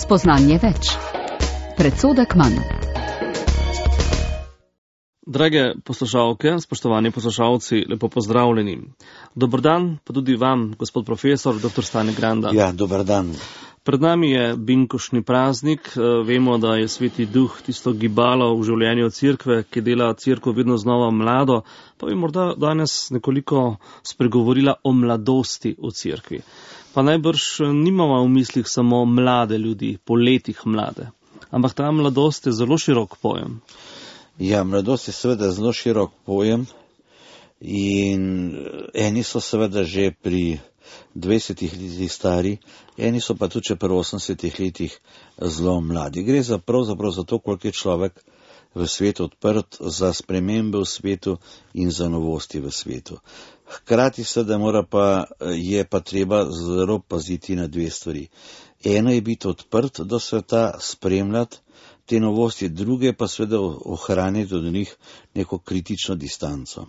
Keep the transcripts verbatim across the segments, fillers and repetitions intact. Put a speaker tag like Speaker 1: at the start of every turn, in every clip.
Speaker 1: Spoznanje več. Predsodek manj.
Speaker 2: Drage poslušalke, spoštovani poslušalci, lepo pozdravljeni. Dober dan, pa tudi vam, gospod profesor, doktor Stane Granda.
Speaker 3: Ja, dober dan.
Speaker 2: Pred nami je binkoštni praznik. Vemo, da je Sveti Duh tisto gibalo v življenju cerkve, ki dela cerkev vedno znova mlado, pa bi morda danes nekoliko spregovorila o mladosti v cerkvi. Pa najbrž nimamo v mislih samo mlade ljudi, po letih mlade, ampak ta mladost je zelo širok pojem.
Speaker 3: Ja, mladost je seveda zelo širok pojem in eni so seveda že pri dvajsetih letih stari, eni so pa tudi pri osemdesetih letih zelo mladi. Gre za pravzaprav za to, koliko je človek v svetu odprt za spremembe v svetu in za novosti v svetu. Hkrati seveda mora pa, je pa treba zelo paziti na dve stvari. Eno je biti odprt do sveta, spremljati te novosti, druge pa seveda ohraniti od njih neko kritično distanco.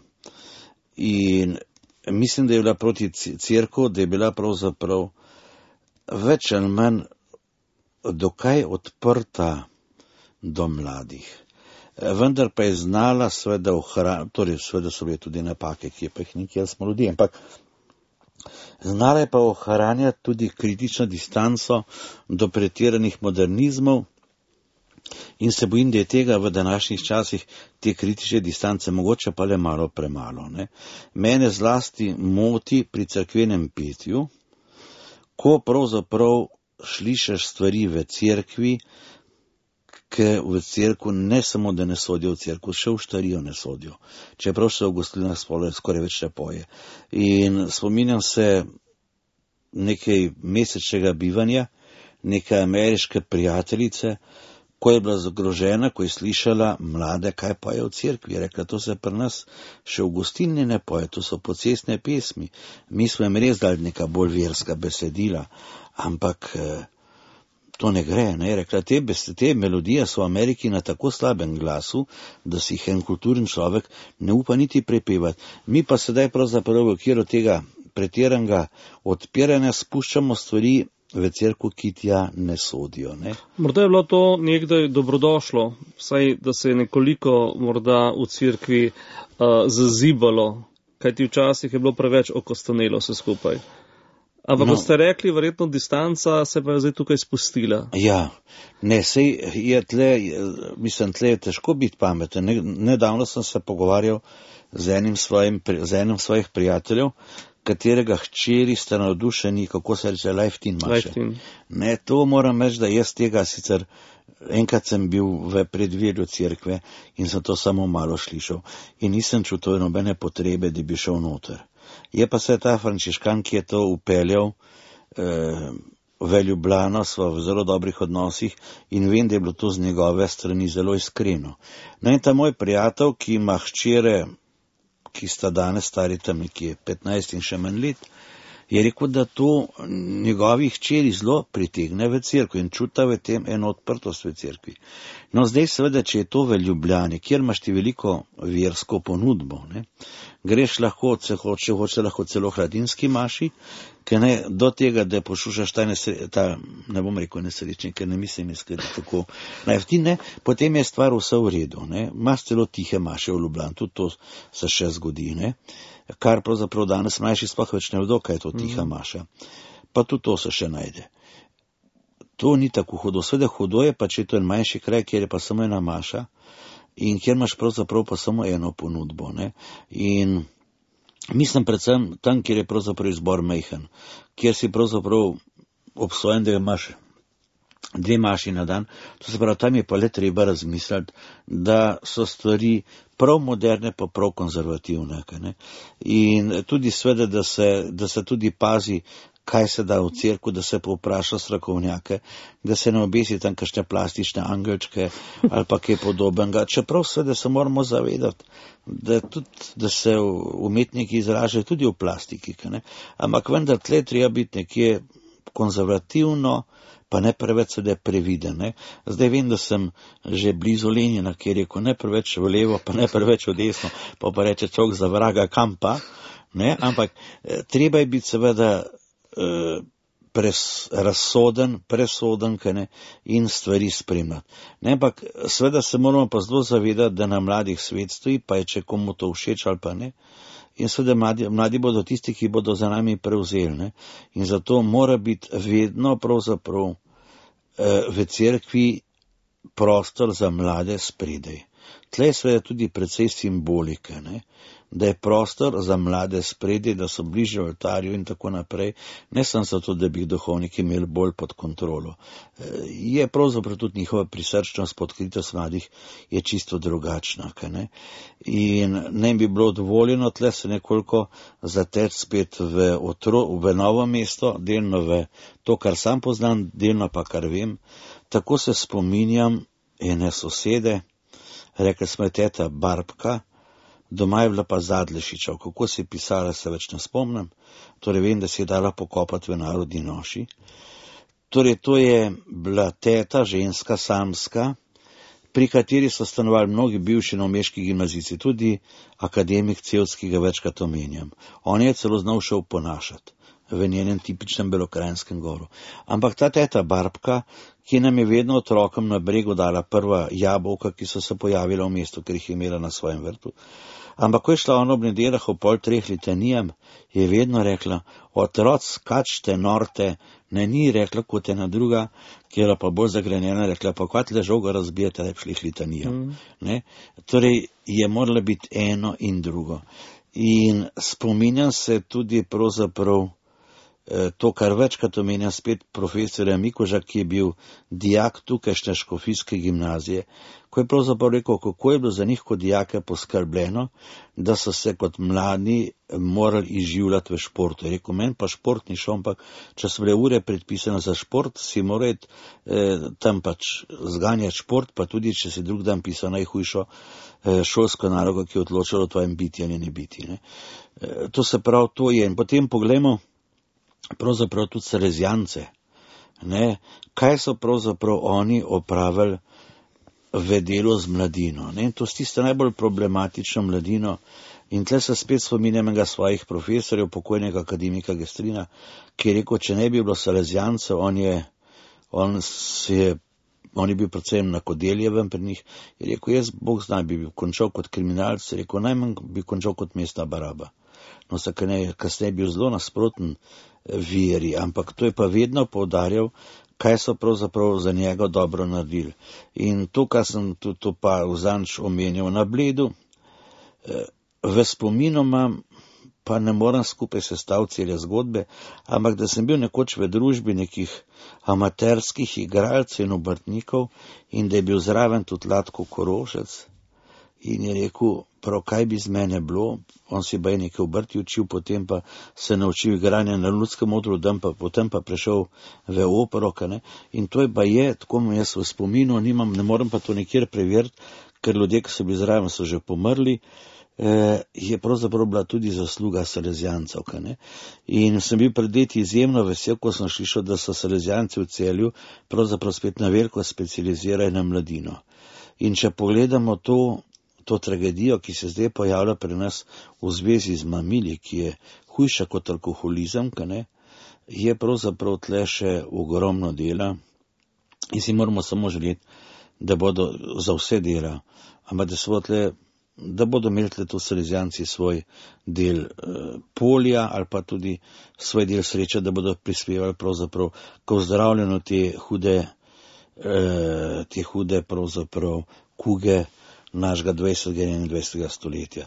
Speaker 3: In mislim, da je bila proti cerkev, da je bila pravzaprav več ali manj dokaj odprta do mladih. Vendar pa je znala seveda ohraniti, torej seveda so bile tudi napake, ki je pa jih nikjer smo ljudi, ampak znala je pa ohranjati tudi kritično distanco do pretiranih modernizmov in se bojim, da je tega v današnjih časih te kritične distance mogoče pa le malo premalo. Ne? Mene zlasti moti pri cerkvenem petju, ko pravzaprav slišiš stvari v cerkvi, ki v cerkvu ne samo, da ne sodijo v cerkvu, še v štarijo ne sodijo. Čeprav se v gostilnah skoraj več ne poje. In spominjam se nekaj mesečnega bivanja, neke ameriške prijateljice, ko je bila zagrožena, ko je slišala mlade, kaj poje v cerkvi. Je rekla, to se pri nas še v gostilni ne poje, to so pocestne pesmi. Mi smo jim res dali neka bolj verska besedila, ampak to ne gre. Ne? Je rekla, te, te melodije so v Ameriki na tako slabem glasu, da si jih en kulturen človek ne upa niti prepevati. Mi pa sedaj pravzaprav v okviru tega pretiranega odpiranja spuščamo stvari v cerkvu, ki tja ne sodijo. Ne?
Speaker 2: Morda je bilo to nekdaj dobrodošlo, vsaj da se je nekoliko morda v cerkvi uh, zazibalo, kajti včasih je bilo preveč okostanelo vse skupaj. Ampak, no, ko ste rekli, verjetno distanca se pa je zdaj tukaj spustila.
Speaker 3: Ja, ne, sej je tle, mislim, tle je težko biti pameten. Nedavno sem se pogovarjal z enim, svojim, z enim svojih prijateljev, katerega hčeri sta navdušeni, kako se reče, Life-Teen maše. Ne, to moram reči, da jaz tega sicer, enkrat sem bil v predvirju cerkve in sem to samo malo slišal in nisem čutil nobene potrebe, da bi šel noter. Je pa se ta frančiškan, ki je to upeljal eh, v Ljubljano, sva v zelo dobrih odnosih in vem, da je bilo to z njegove strani zelo iskreno. No in ta moj prijatelj, ki ima hčere, ki sta danes stari tam nekje petnajst in še manj let, je rekel, da to njegovih hčeri zelo pritegne v cerkvi in čuta v tem eno odprtost v cerkvi. No zdaj seveda, če je to v Ljubljani, kjer imaš ti veliko versko ponudbo, ne, greš lahko, če hoče, hoče lahko celo hladinski maši, ker ne do tega, da pošušaš ta, nesre, ta ne bom rekel nesrečnik, ker ne mislim iskreno tako najvtine, potem je stvar vse v redu. Ne. Imaš celo tihe maše v Ljubljani, tudi to se še zgodi, ne. Kar pravzaprav danes mlajši sploh več ne vedo, kaj je to tiha maša. Pa tudi to se še najde. To ni tako hudo. Sveda hudo je pa, če je to en manjši kraj, kjer je pa samo ena maša in kjer imaš pravzaprav pa samo eno ponudbo. Ne? In mislim predvsem tam, kjer je pravzaprav izbor majhen, kjer si pravzaprav obsojen, da imaš dve maši na dan, to se pravi, tam je pa le treba razmisliti, da so stvari prav moderne, pa prav konzervativne. Ne? In tudi sveda, da se, da se tudi pazi, kaj se da v cerku, da se povpraša strokovnjake, da se ne obesi tam kakšne plastične angelčke ali pa kaj podobnega. Čeprav seveda se moramo zavedati, da, tudi, da se umetniki izražajo tudi v plastiki. Ne? Ampak vendar tle treba biti nekje konzervativno, pa ne preveč sedaj previden. Ne? Zdaj vem, da sem že blizu Lenina, kjer je rekel ne preveč v levo, pa ne preveč v desno, pa pa reče človek za vraga kam pa. Ne? Ampak treba je biti seveda eh, pres, razsoden, presoden ne, in stvari spremljati. Ne, ampak seveda se moramo pa zelo zavedati, da na mladih svet stoji, pa je če komu to všeč ali pa ne. In seveda mladi, mladi bodo tisti, ki bodo za nami prevzeli. Ne. In zato mora biti vedno pravzaprav eh, v cerkvi prostor za mlade spredaj. Tle je seveda tudi precej simbolike, ne? Da je prostor za mlade spredaj, da so bližje oltarju in tako naprej, ne samo zato, da bi jih duhovniki imeli bolj pod kontrolo. Je pravzaprav tudi njihova prisrčnost, odkritost mladih je čisto drugačna. Ne? In ne bi bilo dovoljeno tle se nekoliko zateč spet v, otro, v novo mesto, delno v to, kar sam poznam, delno pa kar vem. Tako se spominjam ene sosede, rekla smo je teta Barbka, doma je bila pa Zadlešiča, kako se je pisala, se več ne spomnim, torej vem, da si je dala pokopati v narodni noši. Torej to je bila teta, ženska, samska, pri kateri so stanovali mnogi bivši novomeški gimnazijci, tudi akademik Cevc, ki ga večkrat omenjam. On je celo znal še oponašati v njenem tipičnem belokrajinskem govoru. Ampak ta teta Barbka, ki nam je vedno otrokom na bregu dala prva jabolka, ki so se pojavila v mestu, ker jih je imela na svojem vrtu. Ampak ko je šla ona ob nedeljah o pol treh litanijam, je vedno rekla, otroc, skačte, norte, ne ni rekla kot ena druga, ki je pa bolj zagrenjena, rekla, pa kvat le žoga razbijete, da bi šli litanijam. Mm. Ne? Torej je morala biti eno in drugo. In spominjam se tudi pravzaprav to, kar večkrat omenja spet profesorja Mikoža, ki je bil dijak tukajšnje škofijske gimnazije, ko je pravzaprav rekel, kako je bilo za njih kot dijake poskrbljeno, da so se kot mladi morali izživljati v športu. Je rekel, meni pa šport ni šel, ampak če so bile ure predpisane za šport, si morajo eh, tam pač zganjati šport, pa tudi, če si drug dan pisal najhujšo eh, šolsko nalogo, ki je odločalo o tvojem biti ali ne biti. Ne. Eh, to se prav to je. In potem pogledamo, pravzaprav tudi salezijance, ne, kaj so pravzaprav oni opravili v delu z mladino. Ne. To je tista najbolj problematična mladino in tle se spet spominjam enega svojih profesorjev, pokojnega akademika Gestrina, ki je rekel, če ne bi bilo salezijancev, on je, on se je, on je bil predvsem na Kodeljevem pri njih, je rekel, jaz, Bog zna, bi bil končal kot kriminalc, je rekel, najmanj bi končal kot mestna baraba. No, se kasneje bil zelo nasproten veri, ampak to je pa vedno poudarjal, kaj so pravzaprav za njega dobro naredili. In to, kar sem tudi to pa vzanč omenjal na Bledu, v spominu imam, pa ne moram skupaj sestaviti cele zgodbe, ampak da sem bil nekoč v družbi nekih amaterskih igralcev in obrtnikov in da je bil zraven tudi Latko Korošec in je rekel, prav kaj bi z mene bilo, on si pa je nekaj obrti učil, potem pa se naučil igranja na ljudskem odru, pa, potem pa prešel v opero, ne? In to je pa je, tako jaz v spominu nimam, ne morem pa to nikjer preveriti, ker ljudje, ki so bili zraven, so že pomrli, eh, je pravzaprav bila tudi zasluga salezijancev. In sem bil pred leti izjemno vesel, ko sem slišal, da so salezijanci v Celju pravzaprav spet na veliko specializirajo na mladino. In če pogledamo to, to tragedijo, ki se zdaj pojavlja pri nas v zvezi z mamili, ki je hujša kot alkoholizem, ne, je pravzaprav tle še ogromno dela in si moramo samo želeti, da bodo za vse dela, ampak da, tle, da bodo imeli tle to salezijanci svoj del eh, polja ali pa tudi svoj del sreče, da bodo prispevali pravzaprav k ozdravljanju te hude, eh, te hude pravzaprav kuge našega dvajsetega in enaindvajsetega stoletja.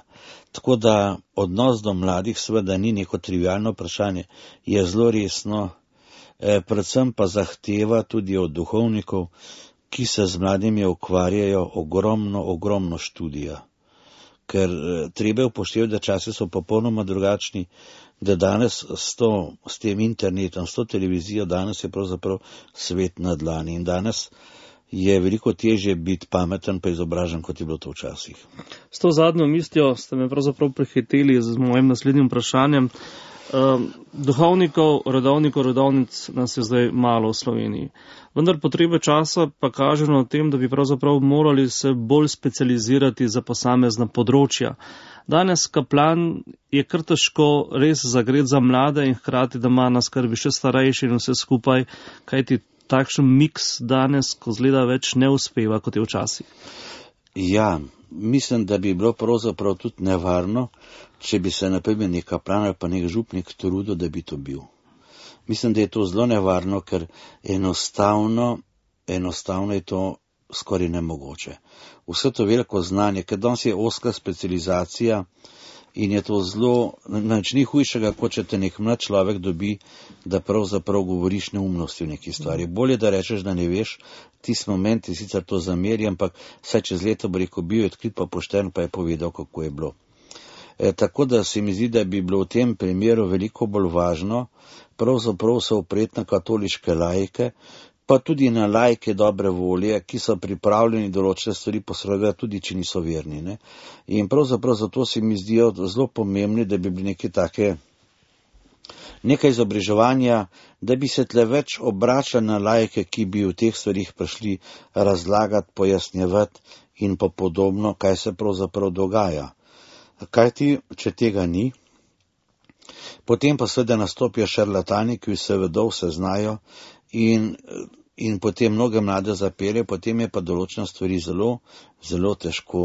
Speaker 3: Tako da odnos do mladih seveda ni neko trivialno vprašanje, je zelo resno, eh, predvsem pa zahteva tudi od duhovnikov, ki se z mladimi ukvarjajo, ogromno, ogromno študija. Ker eh, treba upoštevati, da časi so popolnoma drugačni, da danes s, to, s tem internetom, s to televizijo, danes je pravzaprav svet na dlani in danes je veliko težje biti pameten pa izobražen, kot je bilo to včasih.
Speaker 2: S to zadnjo mislijo ste me pravzaprav prehiteli z mojim naslednjim vprašanjem. Um, duhovnikov, redovnikov, redovnic nas je zdaj malo v Sloveniji. Vendar potrebe časa pa kažejo na tem, da bi pravzaprav morali se bolj specializirati za posamezna področja. Danes kaplan je kar težko res zagret za mlade in hkrati, da ima na skrbi še starejši in vse skupaj, kajti takšen miks danes, ko zgleda več ne uspeva, kot je včasih.
Speaker 3: Ja, mislim, da bi bilo pravzaprav tudi nevarno, če bi se naprimer nek kaplan ali pa nek župnik trudil, da bi to bil. Mislim, da je to zelo nevarno, ker enostavno, enostavno je to skoraj nemogoče. Vse to veliko znanje, ker danes je ozka specializacija in je to zelo, nič ni hujšega, kot če te nek mlad človek dobi, da pravzaprav govoriš neumnosti v neki stvari. Bolje, da rečeš, da ne veš, tisti moment je sicer to zameri, ampak vsaj čez leto bo rekel, bil je odkrit pa pošten, pa je povedal, kako je bilo. E, tako da se mi zdi, da bi bilo v tem primeru veliko bolj važno, pravzaprav se opreti na katoliške laike, pa tudi na laike dobre volje, ki so pripravljeni določene stvari posredovati, tudi če niso verni. Ne? In pravzaprav zato se mi zdijo zelo pomembni, da bi bili neke take, nekaj izobraževanja, da bi se tle več obračali na laike, ki bi v teh stvarih prišli razlagati, pojasnjevati in pa podobno, kaj se pravzaprav dogaja. Kaj ti, če tega ni? Potem pa seveda nastopijo šarlatani, ki vse vedo, vse znajo in, in potem mnoge mlade zapelje, potem je pa določene stvari zelo, zelo težko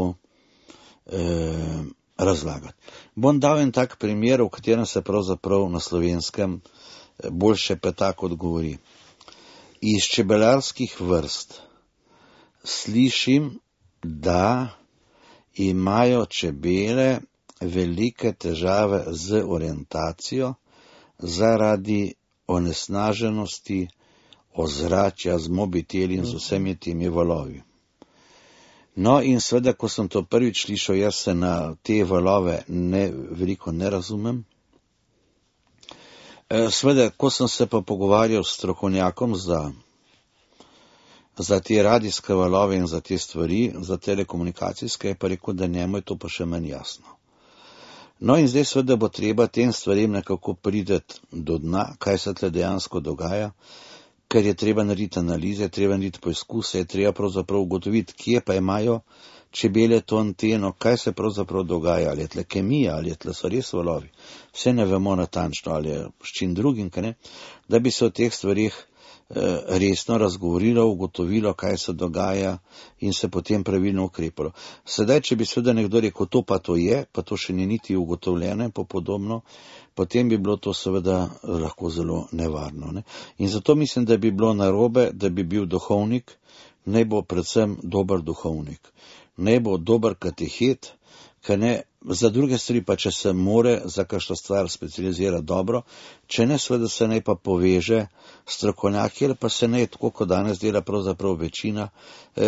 Speaker 3: eh, razlagati. Bom dal en tak primer, v katerem se pravzaprav na slovenskem boljše peta kot govori. Iz čebelarskih vrst slišim, da imajo čebele velike težave z orientacijo zaradi onesnaženosti ozračja z mobiteli in z vsemi temi valovi. No in seveda, ko sem to prvič slišal, jaz se na te valove ne, veliko ne razumem. Seveda, ko sem se pa pogovarjal s strokovnjakom za za te radijske valove in za te stvari, za telekomunikacijske, je pa rekel, da njemu je to pa še manj jasno. No in zdaj seveda bo treba tem stvarem nekako prideti do dna, kaj se tle dejansko dogaja, ker je treba narediti analize, treba narediti poizkuse, je treba pravzaprav ugotoviti, kje pa imajo čebele to anteno, kaj se pravzaprav dogaja, ali je tle kemija, ali je tle so res valovi. Vse ne vemo natančno, ali je s čim drugim, kaj ne, da bi se o teh stvarih resno razgovorilo, ugotovilo, kaj se dogaja in se potem pravilno ukrepalo. Sedaj, če bi seveda nekdo rekel, to pa to je, pa to še ni niti ugotovljeno in podobno, potem bi bilo to seveda lahko zelo nevarno. Ne? In zato mislim, da bi bilo narobe, da bi bil duhovnik, naj bo predvsem dober duhovnik, naj bo dober katehet, kaj ne, za druge stvari pa, če se more za kakšno stvar specializira dobro, če ne, seveda se naj pa poveže strokovnjaki, ali pa se naj, tako kot danes dela pravzaprav večina,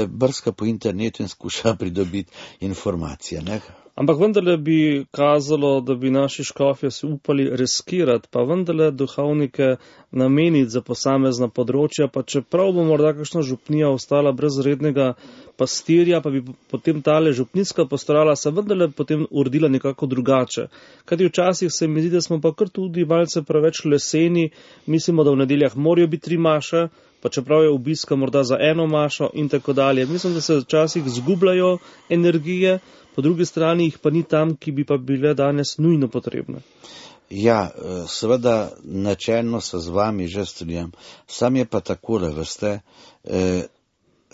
Speaker 3: brska po internetu in skuša pridobiti informacije. Ne?
Speaker 2: Ampak vendarle bi kazalo, da bi naši škofje se upali riskirati, pa vendarle duhovnike nameniti za posamezna področja, pa čeprav bo morda kakšna župnija ostala brez rednega pastirja, pa bi potem tale župnijska pastorala se vendarle potem uredila nekako drugače. Kajti včasih se mi zdi, da smo pa kar tudi malce preveč leseni, mislimo, da v nedeljah morajo biti tri maše, pa čeprav je obiska morda za eno mašo in tako dalje. Mislim, da se včasih zgubljajo energije, po drugi strani jih pa ni tam, ki bi pa bile danes nujno potrebne.
Speaker 3: Ja, seveda načelno se z vami že strinjam. Sam je pa takole, veste, eh,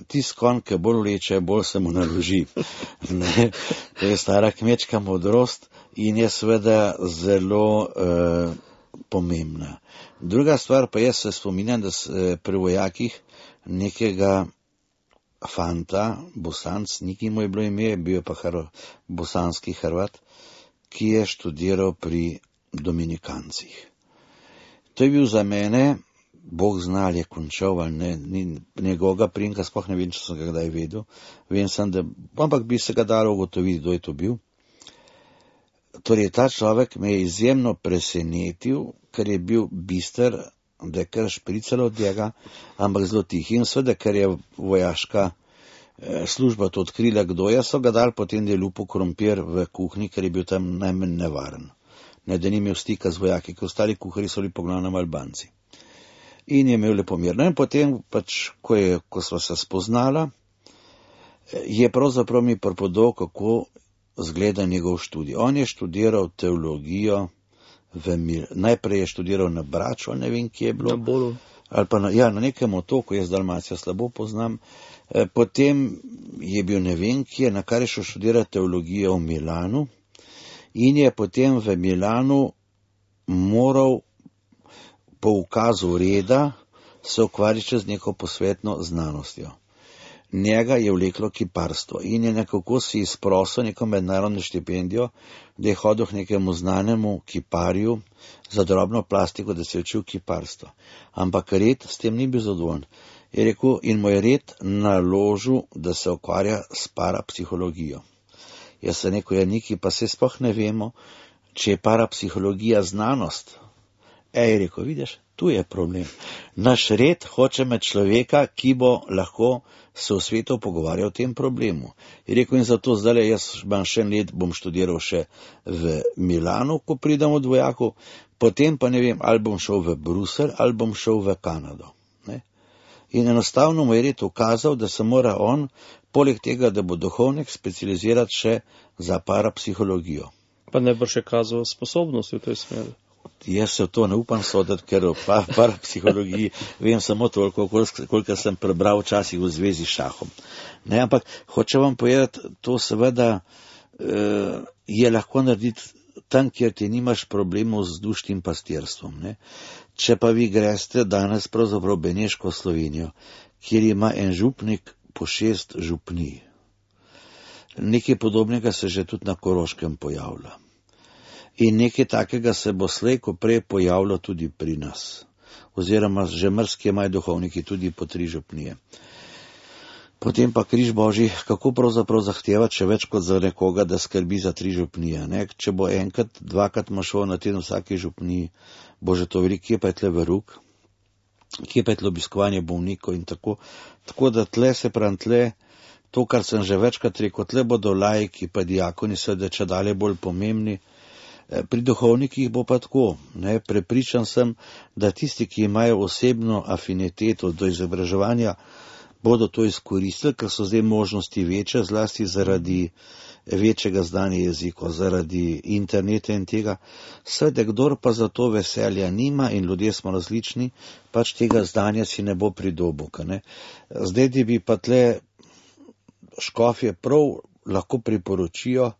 Speaker 3: tis konj, ki bolj vleče, bolj se mu naloži. Ne? To je stara kmečka modrost in je seveda zelo eh, pomembna. Druga stvar pa jaz se spominjam, da se pri vojakih nekega fanta, Bosanc, niki mu je bilo ime, bil je pa hr, bosanski Hrvat, ki je študiral pri Dominikancih. To je bil za mene, Bog zna, ali je končal ali ne, ni njegovega primka, sploh ne vem, če sem ga kdaj vedel, vem sem, da, ampak bi se ga dalo ugotoviti, kdo je to bil. Torej, ta človek me je izjemno presenetil, ker je bil bister, da je kar špricalo od njega, ampak zelo tih. In seveda, ker je vojaška eh, služba to odkrila, kdo je, so ga dali potem, da je lupo krompir v kuhinji, ker je bil tam najmanj nevaren. ne, da ni imel stika z vojaki, ker ostali kuharji so bili poglavnem Albanci. In je imel lepo mir. No in potem, pač, ko, je, ko sva se spoznala, je pravzaprav mi prepodal, kako zgleda njegov študij. On je študiral teologijo, v Mil... najprej je študiral na Braču, ne vem, kje je bilo.
Speaker 2: Na Bolu.
Speaker 3: Ali pa na, ja, na nekem otoku, jaz Dalmacijo slabo poznam. E, potem je bil ne vem, kje, na kar je šel študirati teologijo v Milanu in je potem v Milanu moral po ukazu reda se ukvarjati z neko posvetno znanostjo. Njega je vleklo kiparstvo in je nekako si izprosil neko mednarodno štipendijo, da je hodil k nekemu znanemu kiparju za drobno plastiko, da se je učil kiparstvo. Ampak red s tem ni bil zadovoljen. Je rekel, in mu je red naložil, da se ukvarja s parapsihologijo. Jaz sem rekel, ja, Niki, pa se sploh ne vemo, če je parapsihologija znanost. Ej, je rekel, vidiš, tu je problem. Naš red hoče med človeka, ki bo lahko se v svetu pogovarjal o tem problemu. Je rekel, in zato zdaj jaz imam še en let, bom študiral še v Milanu, ko pridem od vojakov, potem pa ne vem, ali bom šel v Bruselj, ali bom šel v Kanado. Ne? In enostavno mu je red ukazal, da se mora on, poleg tega, da bo duhovnik, specializirati še za parapsihologijo.
Speaker 2: Pa ne bo še kazal sposobnosti v tej smeri.
Speaker 3: Jaz se v to ne upam soditi, ker v parapsihologiji vem samo toliko, koliko sem prebral včasih v zvezi s šahom. Ne, ampak hoče vam povedati, to seveda eh, je lahko narediti tam, kjer ti nimaš problemov z dušnim pastirstvom. Ne. Če pa vi greste danes pravzaprav Beneško Slovenijo, kjer ima en župnik po šest župnij. Nekaj podobnega se že tudi na Koroškem pojavlja. In nekaj takega se bo slej, ko prej pojavilo tudi pri nas. Oziroma že mrski imajo duhovniki tudi po tri župnije. Potem pa križ Božji, kako pravzaprav zahteva, če več kot za nekoga, da skrbi za tri župnije. Ne? Če bo enkrat, dvakrat mašel na teden vsaki župniji, bo že to veliko, kje pa je tle veruk, kje pa je tle obiskovanje bolnikov in tako. Tako da tle se pravi tle, to, kar sem že večkrat rekel, tle bodo laiki pa diakoni seveda če dalje bolj pomembni. Pri duhovnikih bo pa tako, ne, prepričan sem, da tisti, ki imajo osebno afiniteto do izobraževanja, bodo to izkoristili, ker so zdaj možnosti večje, zlasti zaradi večjega znanja jezikov, zaradi interneta in tega. Seveda, kdor pa za to veselja nima in ljudje smo različni, pač tega znanja si ne bo pridobil. Ne. Zdaj, da bi pa tle škofje prav lahko priporočijo,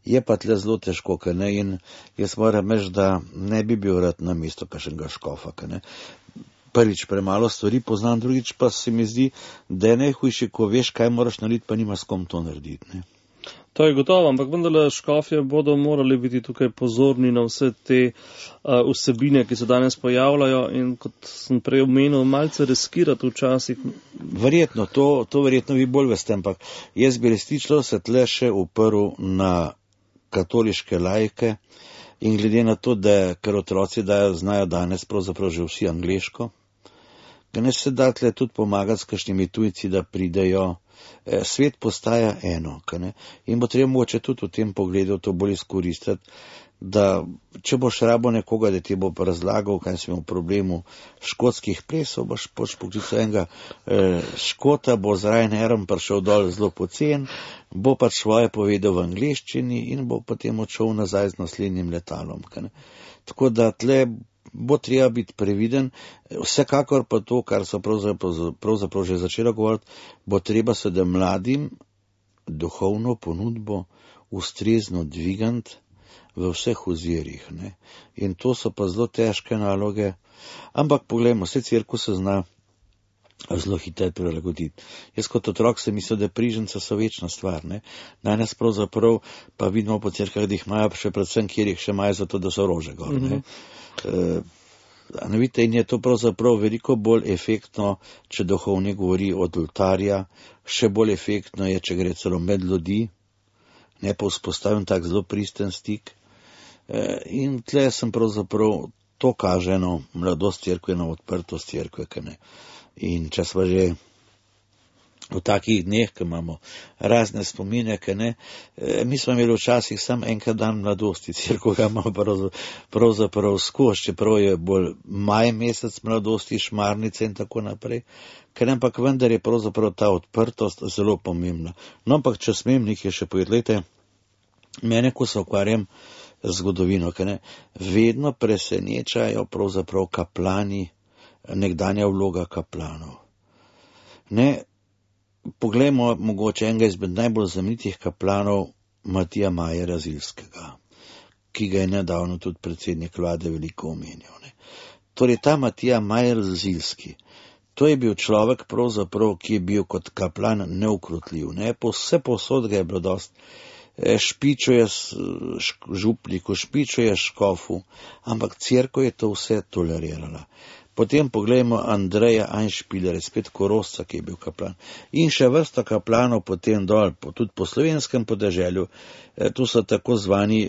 Speaker 3: je pa tle zelo težko, ne? In jaz moram reči, da ne bi bil rad na mesto kakšnega škofa. Ne? Prvič premalo stvari poznam, drugič pa se mi zdi, da je najhujše, ko veš, kaj moraš narediti, pa nimaš s kom to narediti. Ne?
Speaker 2: To je gotovo, ampak vendarle škofje bodo morali biti tukaj pozorni na vse te uh, vsebine, ki se danes pojavljajo in kot sem prej omenil, malce riskirati včasih.
Speaker 3: Verjetno, to, to verjetno vi bolj veste, ampak jaz bi resnično se tle še uprl na katoliške laike in glede na to, da ker otroci dajo, znajo danes pravzaprav že vsi angleško, da ne se da tle tudi pomagati s kakšnimi tujci, da pridejo. Svet postaja eno, ne? In bo treba mogoče tudi v tem pogledu to bolj izkoristiti, da če boš rabo nekoga, da ti bo razlagal, kaj si imel v problemu škotskih plesov, boš poč poklical enega eh, Škota, bo z Ryanairom prišel dol zelo pocen, bo pač svoje povedal v angleščini in bo potem odšel nazaj z naslednjim letalom. Ne? Tako da tle bo treba biti previden, vsekakor pa to, kar so pravzaprav, pravzaprav že začela govoriti, bo treba se da mladim duhovno ponudbo ustrezno dvigant v vseh ozirih. Ne? In to so pa zelo težke naloge, ampak poglejmo, vse cerkev se zna zelo hitro prilagoditi. Jaz kot otrok sem mislil, da priženca so večna stvar. Ne? Danes pravzaprav pa vidimo po cerkvah, da jih imajo še predvsem, kjer jih še imajo zato, da so rože gor. Ne? Uh, vidite, in je to pravzaprav veliko bolj efektno, če duhovnik govori od oltarja, še bolj efektno je, če gre celo med ljudi, ne pa vzpostavim tak zelo pristen stik. Uh, in tle sem pravzaprav, to kaže eno mladost cerkve, eno odprtost cerkve. In če sva že v takih dneh, ko imamo razne spomine, ki ne, mi smo imeli včasih sam enkrat dan mladosti, cerkev ga ima pravzaprav skozi, čeprav je bolj maj mesec mladosti, šmarnice in tako naprej, ker ampak vendar je pravzaprav ta odprtost zelo pomembna. No, ampak če smem nekaj še povedati, mene, ko se ukvarjam z zgodovino, ker ne, vedno presenečajo pravzaprav kaplani, nekdanja vloga kaplanov. Ne, poglejmo mogoče enega izmed najbolj znamenitih kaplanov Matija Majera Zilskega, ki ga je nedavno tudi predsednik vlade veliko omenjal. Ne. Torej ta Matija Majer Zilski, to je bil človek pravzaprav, ki je bil kot kaplan neukrotljiv. Ne. Po vse posod ga je bilo dost, špičuje župniku, špičuje škofu, ampak cerkev je to vse tolerirala. Potem pogledajmo Andreja Einspielerja, spet Korošca, ki je bil kaplan. In še vrsta kaplanov potem dol, tudi po slovenskem podeželju. Tu so tako zvani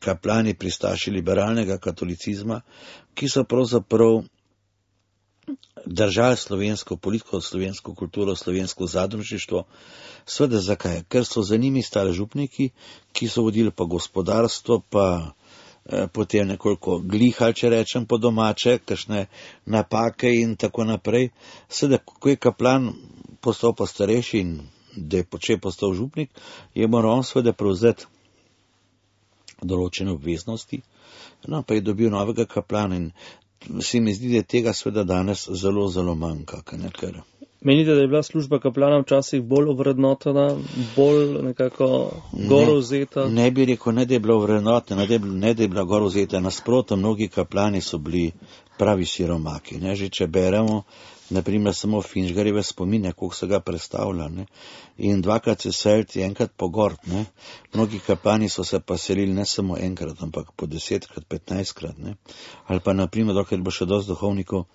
Speaker 3: kaplani pristaši liberalnega katolicizma, ki so pravzaprav držali slovensko politiko, slovensko kulturo, slovensko zadružništvo. Sveda zakaj? Ker so za njimi stali župniki, ki so vodili pa gospodarstvo, pa potem nekoliko glihali, če rečem po domače, kakšne napake in tako naprej. Sedaj, ko je kaplan postal pa starejši in da je počel postal župnik, je moral on seveda prevzeti določene obveznosti, no pa je dobil novega kaplana in se mi zdi, da je tega seveda danes zelo, zelo manjka, ker
Speaker 2: Menite, da je bila služba kaplana včasih bolj ovrednotena, bolj nekako gor vzeta?
Speaker 3: Ne, ne bi rekel, ne da je bila ovrednotena, ne, ne da je bila gor vzeta. Nasprotno, mnogi kaplani so bili pravi siromaki. Ne? Že če beremo, naprimer, samo Finžgarjeve spomine, koliko se ga predstavlja. Ne? In dvakrat se seliti, enkrat po gord. Ne? Mnogi kaplani so se pa selili ne samo enkrat, ampak po desetkrat, petnajstkrat. Ne? Ali pa, naprimer, dokaj bo še dosti duhovnikov,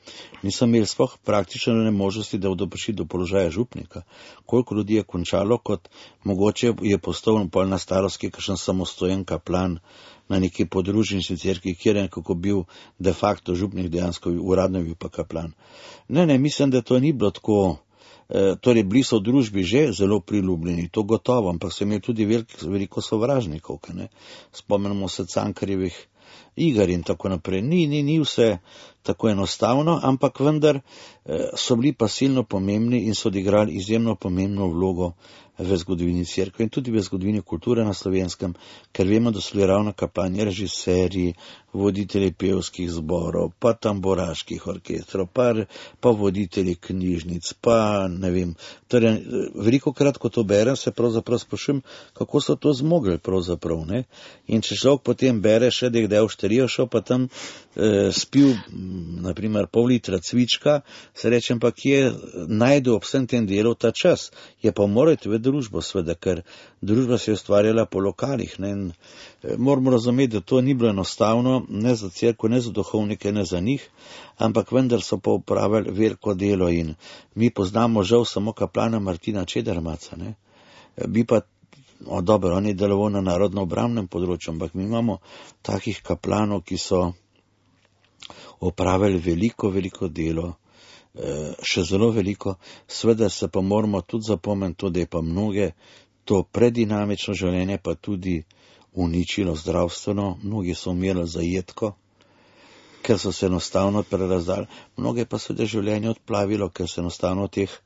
Speaker 3: niso imeli sploh praktično ne možnosti, da bodo prišli do položaja župnika. Koliko ljudi je končalo, kot mogoče je postal pol na starosti kakšen samostojen kaplan na neki podružnični cerkvi, kjer je nekako bil de facto župnik, dejansko uradno bil pa kaplan. Ne, ne, mislim, da to ni bilo tako, e, torej bili so v družbi že zelo priljubljeni, to gotovo, ampak so imeli tudi velik, veliko sovražnikov, ne. Spomnimo se Cankarjevih iger in tako naprej. Ni, ni, ni vse tako enostavno, ampak vendar e, so bili pa silno pomembni in so odigrali izjemno pomembno vlogo v zgodovini cerkve in tudi v zgodovini kulture na Slovenskem, ker vemo, da so bili ravno kaplani režiserji, voditelji pevskih zborov, pa tamboraških orkestrov, pa, pa voditelji knjižnic, pa ne vem. Torej, veliko krat, ko to berem, se pravzaprav sprašujem, kako so to zmogli pravzaprav, ne? In če človek potem bere še, da je kdaj v šterijo šel, pa tam eh, spil, naprimer, pol litra cvička, se rečem pa, kje najde ob vsem tem delu ta čas. Je pa morati v družbo, sveda, ker družba se je ustvarjala po lokalih, ne? In moramo razumeti, da to ni bilo enostavno, ne za cerkev, ne za duhovnike, ne za njih, ampak vendar so pa upravili veliko delo in mi poznamo žal samo kaplana Martina Čedermaca, ne. Bi pa, o dobro, on je deloval na narodno obrambnem področju, ampak mi imamo takih kaplanov, ki so opravili veliko, veliko delo, še zelo veliko, sveda se pa moramo tudi zapomniti to, da je pa mnoge to predinamično življenje pa tudi uničilo zdravstveno, mnogi so umrli zajetko, ker so se enostavno prerazdali, mnoge pa so da življenje odplavilo, ker se enostavno v teh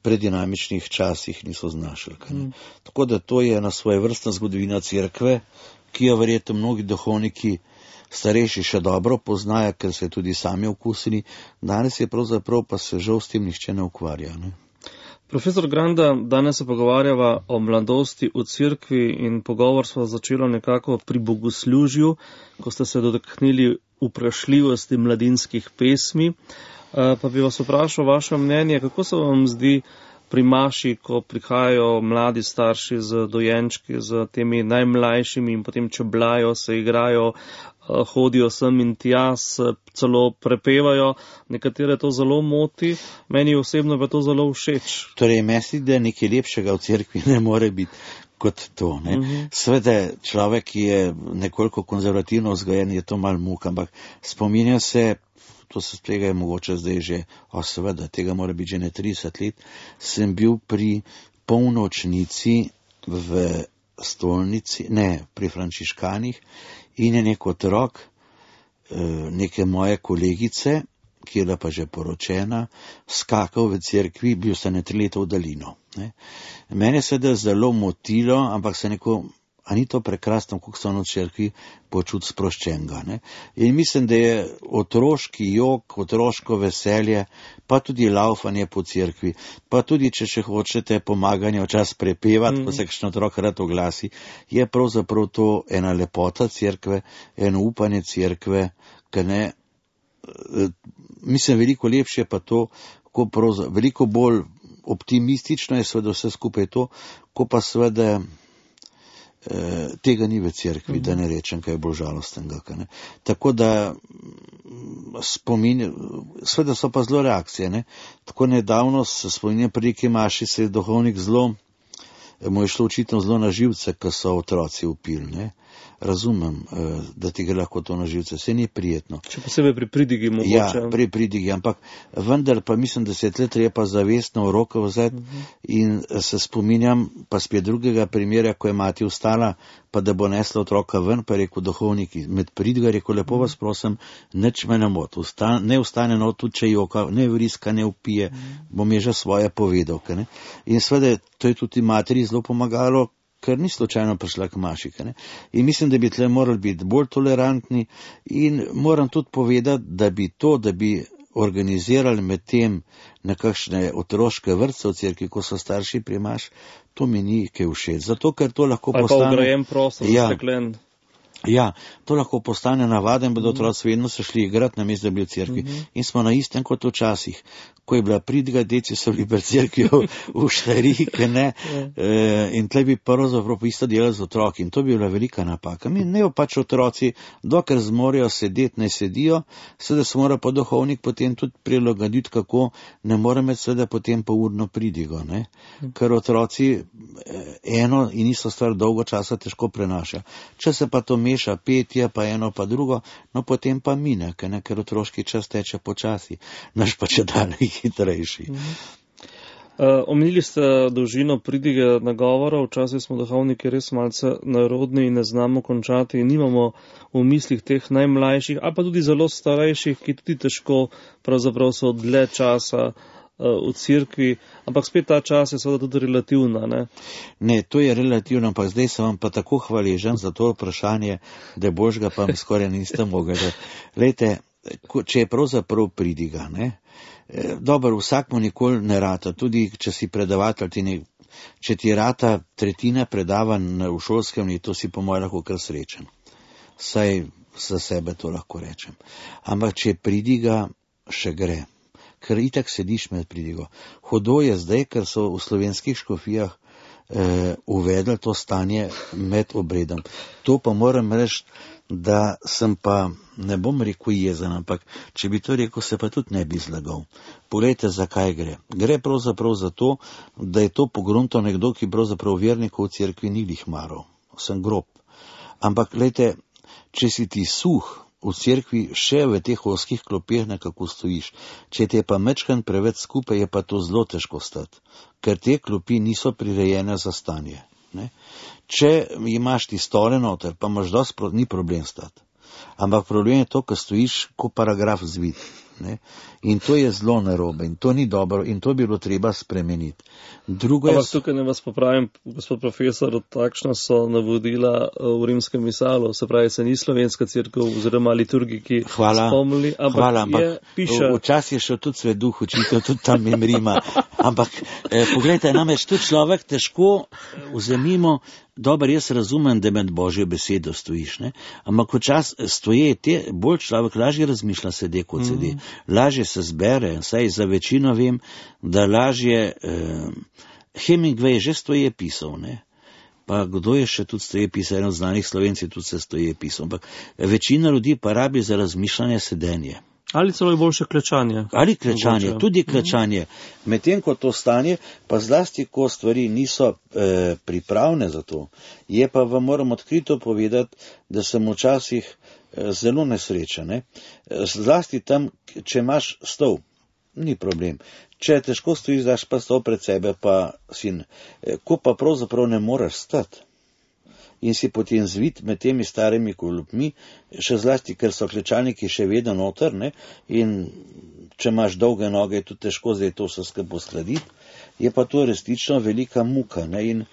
Speaker 3: predinamičnih časih niso znašli. Mm. Tako da to je ena svojevrstna zgodovina cerkve, ki jo verjetno mnogi duhovniki starejši še dobro poznajo, ker se tudi sami okusili, danes je pravzaprav pa se žal s tem nihče ne ukvarja. Ne?
Speaker 2: Profesor Granda, danes se pogovarjava o mladosti v cerkvi in pogovor smo začeli nekako pri bogoslužju, ko ste se dotaknili vprašljivosti mladinskih pesmi. Pa bi vas vprašal vaše mnenje, kako se vam zdi pri maši, ko prihajajo mladi starši z dojenčki, z temi najmlajšimi in potem čeblajo, se igrajo, hodijo sem in tja, celo prepevajo, nekatere to zelo moti, meni osebno pa to zelo všeč.
Speaker 3: Torej, misli, da nekaj lepšega v cerkvi ne more biti, kot to. Ne. Uh-huh. Sveda človek, ki je nekoliko konzervativno vzgojen, je to mal muk, ampak spominja se, to se tega je mogoče zdaj že, o seveda, tega mora biti že ne trideset let, sem bil pri polnočnici v stolnici, ne, pri frančiškanih in je nek otrok, neke moje kolegice, ki je bila pa že poročena, skakal v cerkvi, bil se ne tri leta v daljino. Ne. Mene se da zelo motilo, ampak se neko, a ni to prekrasno, kako so v cerkvi počut sproščenega. Ne. In mislim, da je otroški jok, otroško veselje, pa tudi laufanje po cerkvi, pa tudi, če še hočete, pomaganje včas prepevati, mm. ko se kakšen otrok rad oglasi, je pravzaprav to ena lepota cerkve, eno upanje cerkve, ker ne, mislim, veliko lepše pa to, ko pravzaprav, veliko bolj optimistično je seveda vse skupaj to, ko pa seveda eh, tega ni v cerkvi, mm. da ne rečem, kaj je bolj žalostenega. Ne. Tako da spominj, seveda so pa zelo reakcije. Ne. Tako nedavno se spominjam pri neki maši, se je duhovnik zelo, mu je šlo očitno zelo na živce, ko so otroci upili. Ne. Razumem, da ti gre lahko to na živce, vse ni prijetno.
Speaker 2: Če posebej pri pridigi mogoče.
Speaker 3: Ja, pri pridigi, ampak vendar pa mislim, da se je tle treba zavestno v roko vzeti uh-huh. in se spominjam pa spet drugega primera, ko je mati vstala, pa da bo nesla otroka ven, pa je rekel duhovnik, med pridiga je rekel, lepo vas prosim, nič me ne moti, Ustan, ne ustane no, tudi če joka, ne vriska, ne upije, uh-huh. bom je že svoje povedal. Ne? In seveda, to je tudi materi zelo pomagalo, ker ni slučajno prišla k maši. Ne? In mislim, da bi tle morali biti bolj tolerantni in moram tudi povedati, da bi to, da bi organizirali med tem nekakšne otroške vrtce v cerkvi, ko so starši pri maš, to mi ni kaj všeč. Zato, ker to lahko
Speaker 2: ali
Speaker 3: postane...
Speaker 2: Ali pa ograjen prostor,
Speaker 3: ja.
Speaker 2: steklen.
Speaker 3: Ja, to lahko postane navaden, bodo otroci vedno se šli igrati na mesto, da bi v cerkvi. Uh-huh. In smo na istem kot včasih. Ko je bila pridiga, deci so bili pred cerkvijo v štariki, ne, e, in tle bi pravzaprav isto delali z otroki. In to bi bila velika napaka. Mi ne pač otroci, dokler zmorejo sedeti, ne sedijo, seveda se mora pa duhovnik potem tudi prilagoditi, kako ne more med seveda potem pa urno pridigo, ne. Ker otroci eno in isto stvar dolgo časa težko prenaša. Če se pa to meša petje, pa eno pa drugo, no potem pa mine, ne, ker otroški čas teče počasi, naš pa če dalje hitrejši.
Speaker 2: Uh, omenili ste dolžino pridige nagovora, včasih smo duhovniki res malce narodni in ne znamo končati in nimamo v mislih teh najmlajših, ali pa tudi zelo starejših, ki tudi težko pravzaprav so dlje časa v cerkvi, ampak spet ta čas je seveda tudi relativna, ne?
Speaker 3: Ne, to je relativno, ampak zdaj sem vam pa tako hvaležen za to vprašanje, da božga pa mi skoraj niste mogli. Lejte, če je pravzaprav pridiga, ne? Dobro, vsak mu nikoli ne rata, tudi če si predavatelj, ti ne, če ti rata tretjina predavanj v šolskem letu, si po mojem lahko kar srečen. Saj za sebe to lahko rečem. Ampak če pridiga, še gre. Ker itak sediš med pridigo. Hudo je zdaj, ker so v slovenskih škofijah eh, uvedli to stanje med obredom. To pa moram reči, da sem pa, ne bom rekel jezen, ampak če bi to rekel, se pa tudi ne bi zlagal. Poglejte, zakaj gre. Gre pravzaprav za to, da je to pogrunto nekdo, ki pravzaprav vernikov v cerkvi ni lih maral. Sem grob. Ampak, glejte, če si ti suh, v cerkvi še v teh oskih klopeh nekako stojiš. Če te je pa mečkan preveč skupaj, je pa to zelo težko stati, ker te klopi niso prirejene za stanje. Ne? Če imaš ti stole noter, pa imaš dosti, ni problem stati. Ampak problem je to, ko stojiš kot paragraf zvit. Ne? In to je zelo narobe in to ni dobro in to bi bilo treba spremeniti. Drugo je...
Speaker 2: Ampak tukaj ne vas popravim, gospod profesor, takšna so navodila v rimskem misalu, se pravi, se ni slovenska cerkev oziroma liturgiki spomnili, ampak,
Speaker 3: hvala, ampak
Speaker 2: je, piše...
Speaker 3: Včasih je šel tudi sveduh učitev, tudi tam jim Rima. Ampak, eh, pogledajte, namreč tudi človek težko vzemimo. Dobar, jaz razumem, da med Božjo besedo stojiš, ne? Ampak včas stoje, te, bolj človek lažje razmišlja sede kot sede, mm. lažje se zbere, saj za večino vem, da lažje, eh, Hemingway že stoje pisal, ne? Pa kdo je še tudi stoje pisal, eno od znanih Slovenci tudi se stoje pisal, ampak večina ljudi pa rabi za razmišljanje sedenje.
Speaker 2: Ali celo je boljše klečanje.
Speaker 3: Ali klečanje,
Speaker 2: mogoče.
Speaker 3: Tudi klečanje. Medtem ko to stanje, pa zlasti, ko stvari niso eh, pripravne za to, je pa vam moram odkrito povedati, da sem včasih eh, zelo nesrečen. Ne? Zlasti tam, če imaš stol, ni problem. Če težko stojiš, daš pa stol pred sebe, pa sin, eh, ko pa pravzaprav ne moreš stati. In si potem zvit med temi starimi klopmi, še zlasti, ker so klečalniki še vedno noter, ne, in če imaš dolge noge, je tudi težko zdaj to vse skupaj uskladiti, je pa to resnično velika muka, ne, in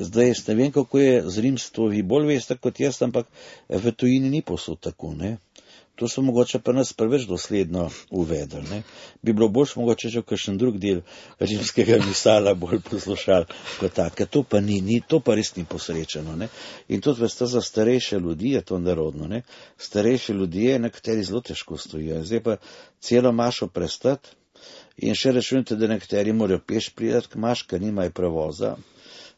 Speaker 3: zdaj jaz ne vem, kako je z rimstvo, vi bolj veste kot jaz, ampak v tujini ni posod tako, ne. To so mogoče pa nas preveč dosledno uvedli, ne. Bi bilo boljš mogoče že v kakšen drug del rimskega misala bolj poslušali kot tak, ker to pa ni, ni, to pa res ni posrečeno, ne. In tudi veste, za starejše ljudi je to nerodno, ne. Starejši ljudje, nekateri zelo težko stojijo, zdaj pa celo mašo prestati in še rečujete, da nekateri morajo peš priti k maš, ker nimajo prevoza.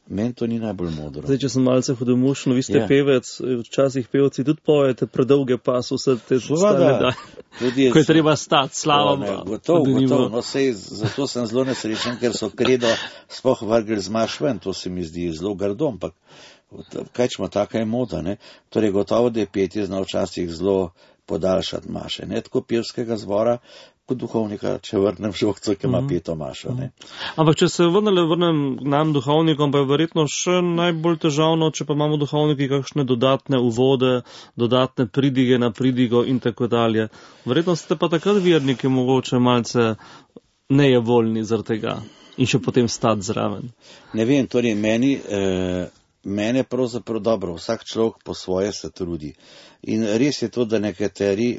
Speaker 3: Meni to ni najbolj modro.
Speaker 2: Zdaj, če sem malce hudomušen, vi ste
Speaker 3: Ja.
Speaker 2: pevec, včasih pevci tudi pojete predolge pas, vse te stane, da,
Speaker 3: Tudi
Speaker 2: ko je treba stati, slava.
Speaker 3: Ne, gotov, gotov, no sej, zato sem zelo nesrečen, ker so kredo sploh vrgli z maš ven, to se mi zdi zelo grdo, ampak kaj čemo, taka je moda, ne. Torej, gotovo, da je petje znal včasih zelo podaljšati maše, ne, tako pevskega zbora, kot duhovnika, če vrnem žogco, ki ima peto mašo, ne.
Speaker 2: Ampak, če se vrnele, vrnem nam duhovnikom, pa je verjetno še najbolj težavno, če pa imamo duhovniki kakšne dodatne uvode, dodatne pridige na pridigo in tako dalje. Verjetno ste pa takrat verniki mogoče malce nejevoljni zaradi tega in še potem stati zraven.
Speaker 3: Ne vem, torej meni, eh, mene pravzaprav dobro, vsak človek po svoje se trudi. In res je to, da nekateri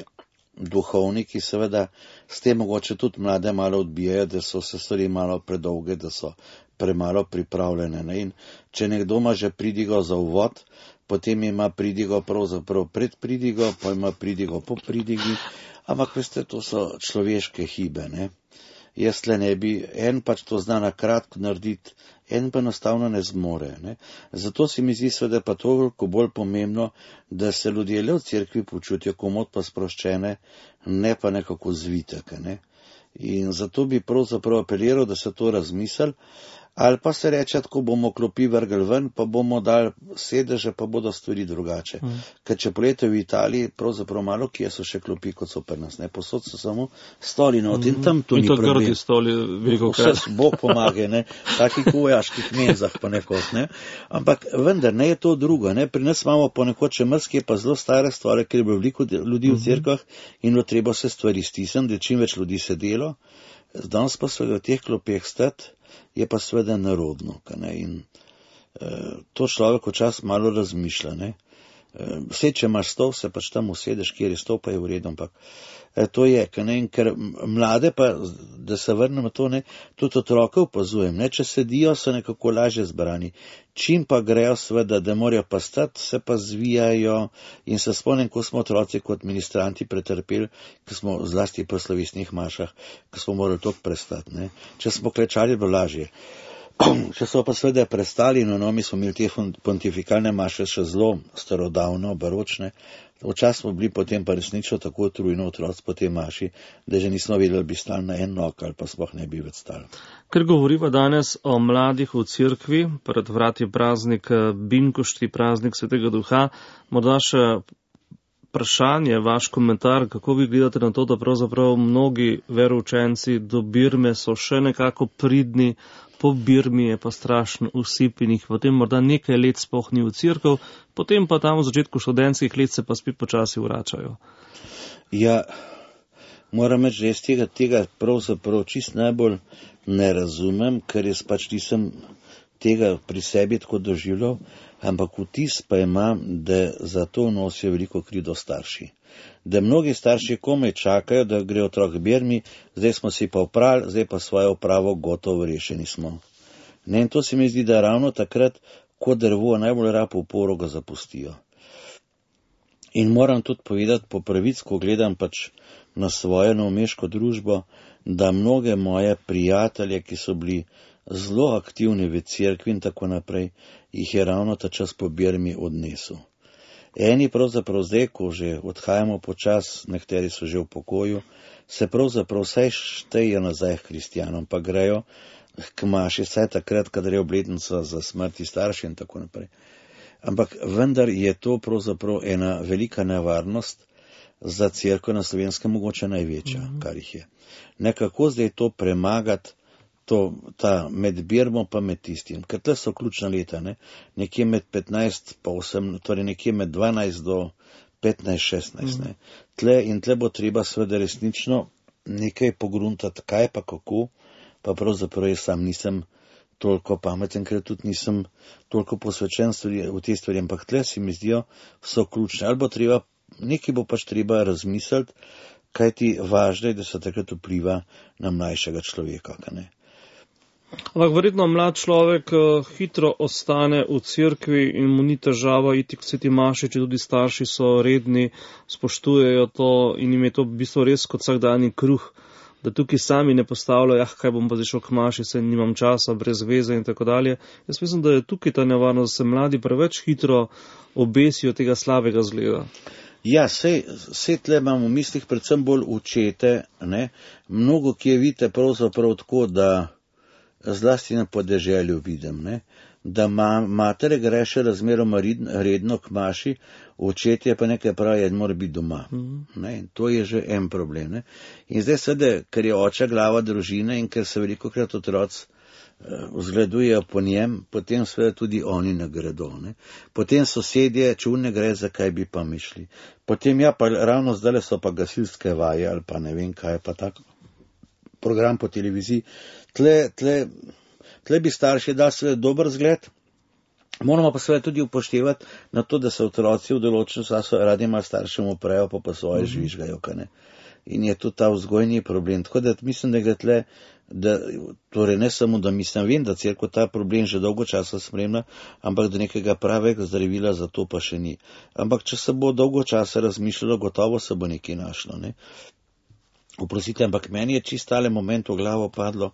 Speaker 3: duhovniki seveda s tem mogoče tudi mlade malo odbijajo, da so se stvari malo predolge, da so premalo pripravljene. Ne? In če nekdo ima že pridigo za uvod, potem ima pridigo pravzaprav pred pridigo, pa ima pridigo po pridigi, ampak veste, to so človeške hibe. Ne? Jaz le ne bi, en pač to zna na kratko narediti, en pa enostavno ne zmore. Ne? Zato se mi zdi seveda pa toliko bolj pomembno, da se ljudje le v cerkvi počutijo komot pa sproščene, ne pa nekako zvitek. Ne? In zato bi pravzaprav apeliral, da se to razmisli, ali pa se reče, tako bomo klopi vrgli ven, pa bomo dali sedeže, pa bodo stvari drugače. Mm. Ker če polete v Italiji, pravzaprav malo kje so še klopi, kot so pri nas, ne, posod so samo stoli not in tam to
Speaker 2: in
Speaker 3: ni
Speaker 2: to
Speaker 3: problem.
Speaker 2: grdi stoli, veliko krat.
Speaker 3: Vse Bog pomaga, ne, takih vojaških menzah pa nekot, ne. Ampak vendar, ne je to drugo, ne, pri nas imamo ponekod še mrske pa zelo stare stvari, ker je bilo veliko ljudi v cerkvah in bilo treba se stvari stisniti, da čim več ljudi sedelo, danes pa so v teh klopeh stati, je pa seveda nerodno, ne, in e, to človek včasih malo razmišlja, ne. E, vse, če imaš stol, se pač tam usedeš, kjer je stol, pa je v redu, ampak e, to je, ne, in ker mlade pa, da se vrnemo to, ne, tudi otroke opazujem, ne, če sedijo, so nekako lažje zbrani, čim pa grejo seveda, da morajo pa stati, se pa zvijajo in se spomnim, ko smo otroci kot ministranti pretrpeli, ko smo zlasti po slovesnih mašah, ko smo morali toliko prestati, ne. Če smo klečali, bilo lažje. Če so pa seveda prestali, no, no, mi smo imeli te pontifikalne maše še zelo starodavno, baročne, včasih smo bili potem pa resnično tako utrujeni otroci po tej maši, da že nismo vedeli, bi stali na en nog ali pa sploh ne bi več stali.
Speaker 2: Ker govoriva danes o mladih v cerkvi, pred vrati praznik Binkošti, praznik Svetega Duha, morda še vprašanje, vaš komentar, kako vi gledate na to, da pravzaprav mnogi veroučenci do Birme so še nekako pridni, po Birmi je pa strašen usip in jih potem morda nekaj let sploh ni v cerkev, potem pa tam v začetku študentskih let se pa spet počasi vračajo.
Speaker 3: Ja, moram reči, da jaz tega, tega pravzaprav čist najbolj ne razumem, ker jaz pač nisem tega pri sebi tako doživljal, ampak vtis pa imam, da za to nosijo veliko krivdo starši. Da mnogi starši komaj čakajo, da gre otrok k Birmi, zdaj smo si pa oprali, zdaj pa svojo opravo gotovo rešeni smo. Ne, in to se mi zdi, da ravno takrat, ko drvo najbolj rabo uporo, ga zapustijo. In moram tudi povedati po pravic, ko gledam pač na svojo novomeško družbo, da mnoge moje prijatelje, ki so bili zelo aktivni v cerkvi in tako naprej, jih je ravno ta čas po Birmi odnesel. Eni pravzaprav zdaj, ko že odhajamo počas, nekateri so že v pokoju, se pravzaprav vsaj štejejo nazaj k kristjanom, pa grejo k maši, vsaj takrat, kadar je obletnica za smrti starši in tako naprej. Ampak vendar je to pravzaprav ena velika nevarnost za cerkev na Slovenskem, mogoče največja, mm-hmm. kar jih je. Nekako zdaj to premagati, to, ta med Birmo pa med tistim, ker tle so ključna leta, ne? Nekje med petnajst pa osem, torej nekje med dvanajst do petnajst šestnajst. Mm-hmm. Tle in tle bo treba seveda resnično nekaj pogruntati, kaj pa kako, pa pravzaprav jaz sam nisem toliko pameten, ker tudi nisem toliko posvečen v te stvari, ampak tle si mi zdijo so ključne. Ali bo treba, nekaj bo pač treba razmisliti, kaj ti važno je, da se takrat vpliva na mlajšega človeka, kaj ne.
Speaker 2: Ampak verjetno mlad človek hitro ostane v cerkvi in mu ni težava iti k sveti maši, če tudi starši so redni, spoštujejo to in jim je to v bistvu res kot vsakdanji kruh, da tukaj sami ne postavljajo, jah, kaj bom pa zdaj šel k maši, saj nimam časa, brez veze in tako dalje. Jaz mislim, da je tukaj ta nevarnost, da se mladi preveč hitro obesijo tega slabega zgleda.
Speaker 3: Ja, sej, sej tle imam v mislih predvsem bolj učete, ne, mnogo, ki je vidite pravzaprav tako, da zlasti na podeželju vidim, ne, da ma, matere gre še razmeroma redno k maši, očetje pa nekaj pravi, da mora biti doma. Mm-hmm. Ne, in to je že en problem. Ne. In zdaj seveda, ker je oče glava družine in ker se veliko krat otroci vzgledujejo po njem, potem seveda tudi oni ne gredo. Ne. Potem sosedje, če ne gre, zakaj bi pa mišli. Potem ja, pa ravno zdaj so pa gasilske vaje ali pa ne vem kaj, pa tak program po televiziji. Tle, tle, tle bi starši dali seveda dober zgled, moramo pa seveda tudi upoštevati na to, da se otroci v določenem času radi malo staršem uprejo, pa pa svoje mm-hmm. žvižgajo, kaj ne. In je to ta vzgojni problem. Tako da mislim, da gre tle, da, torej ne samo, da mislim, vem, da cerkev ta problem že dolgo časa spremlja, ampak da nekega pravega zdravila za to pa še ni. Ampak če se bo dolgo časa razmišljalo, gotovo se bo nekaj našlo, ne. Oprostite, ampak meni je čist tale moment v glavo padlo,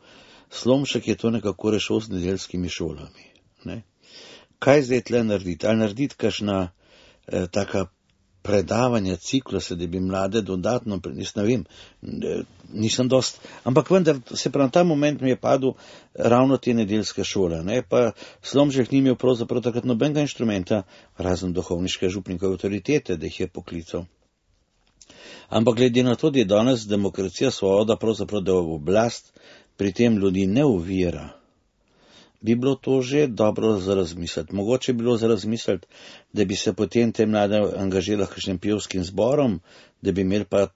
Speaker 3: Slomšek je to nekako rešil z nedeljskimi šolami, ne. Kaj zdaj tle narediti? Ali narediti kakšna eh, taka predavanja, cikluse, da bi mlade dodatno, jaz ne vem, nisem dost, ampak vendar se prav na ta moment mi je padel ravno te nedeljske šole, ne, pa Slomšek ni imel pravzaprav takrat nobenega inštrumenta, razen duhovniške župnikove avtoritete, da jih je poklical. Ampak glede na to, da je danes demokracija svoboda, pravzaprav da v oblast pri tem ljudi ne uvira, bi bilo to že dobro za razmisliti. Mogoče bi bilo za razmisliti, da bi se potem te mlade angažirali kakšnim pevskim zborom, da bi imeli pa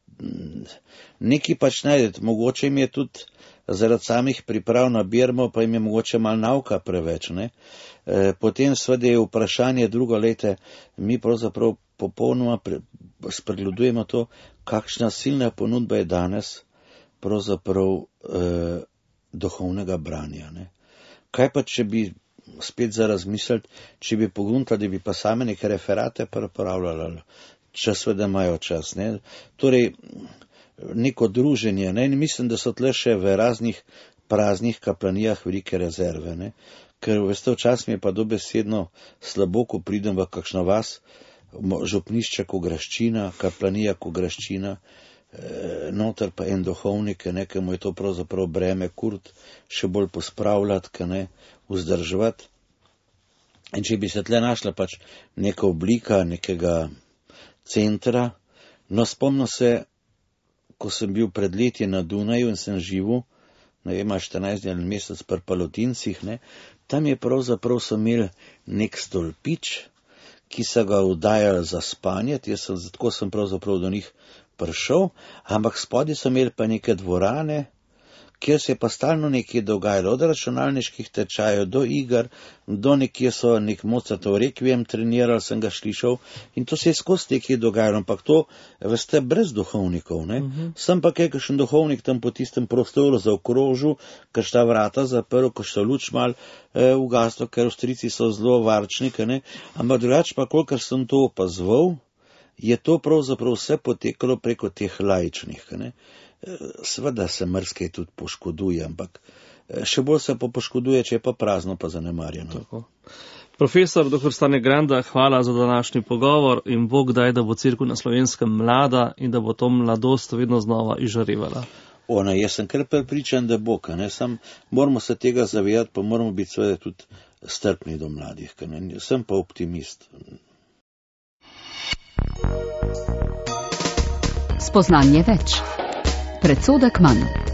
Speaker 3: nekaj pač najdeti. Mogoče jim je tudi zaradi samih priprav na Birmo, pa jim je mogoče malo nauka preveč, ne. E, potem seveda je vprašanje drugo, lete, mi pravzaprav popolnoma pre, spregledujemo to, kakšna silna ponudba je danes pravzaprav e, duhovnega branja, ne. Kaj pa, če bi spet za razmisliti, če bi pogruntali, da bi pa same neke referate pripravljali, čas, da imajo čas, ne. Torej, neko druženje, ne, in mislim, da so tle še v raznih praznih kaplanijah velike rezerve, ne. Ker, veste, včasih mi je pa dobesedno slabo, ko pridem v kakšno vas, župnišče Kograščina, kaplanija Kograščina, noter pa en duhovnik, nekemu je to pravzaprav breme kurt, še bolj pospravljati, ne, vzdrževati. In če bi se tle našla pač neka oblika, nekega centra, no spomnim se, ko sem bil pred leti na Dunaju in sem živel, ne vem, štirinajst dni ali mesec pri Palotincih, ne, tam je pravzaprav so imeli nek stolpič, ki so ga vdajali za spanje, jaz sem, tako sem pravzaprav do njih prišel, ampak spodaj so imeli pa neke dvorane, kjer se je pa stalno nekaj dogajalo, od računalniških tečajev do iger, do nekje so nek Mozartov rekviem trenirali, sem ga slišal, in to se je skozi nekaj dogajalo, ampak to, veste, brez duhovnikov, ne. Uh-huh. Sem pa kaj, kakšen duhovnik tam po tistem prostoru zaokrožil, kakšna vrata zaprl, kakšna luč mal eh, ugaslo, ker Avstrijci so zelo varčniki, ne, ampak drugače pa, kolikor sem to opazoval, je to pravzaprav vse potekalo preko teh laičnih, ne. Seveda se mrskej tudi poškoduje, ampak še bolj se pa poškoduje, če je pa prazno, pa zanemarjeno.
Speaker 2: Tako. Profesor doktor Stane Granda, hvala za današnji pogovor in Bog daj, da bo cerkev na Slovenskem mlada in da bo to mladost vedno znova izžarevala.
Speaker 3: Ona, jaz sem kar prepričan, da bo, ne, sam moramo se tega zavedati, pa moramo biti seveda tudi strpni do mladih, ne, sem pa optimist.
Speaker 1: Spoznanje več. Predsodek manj.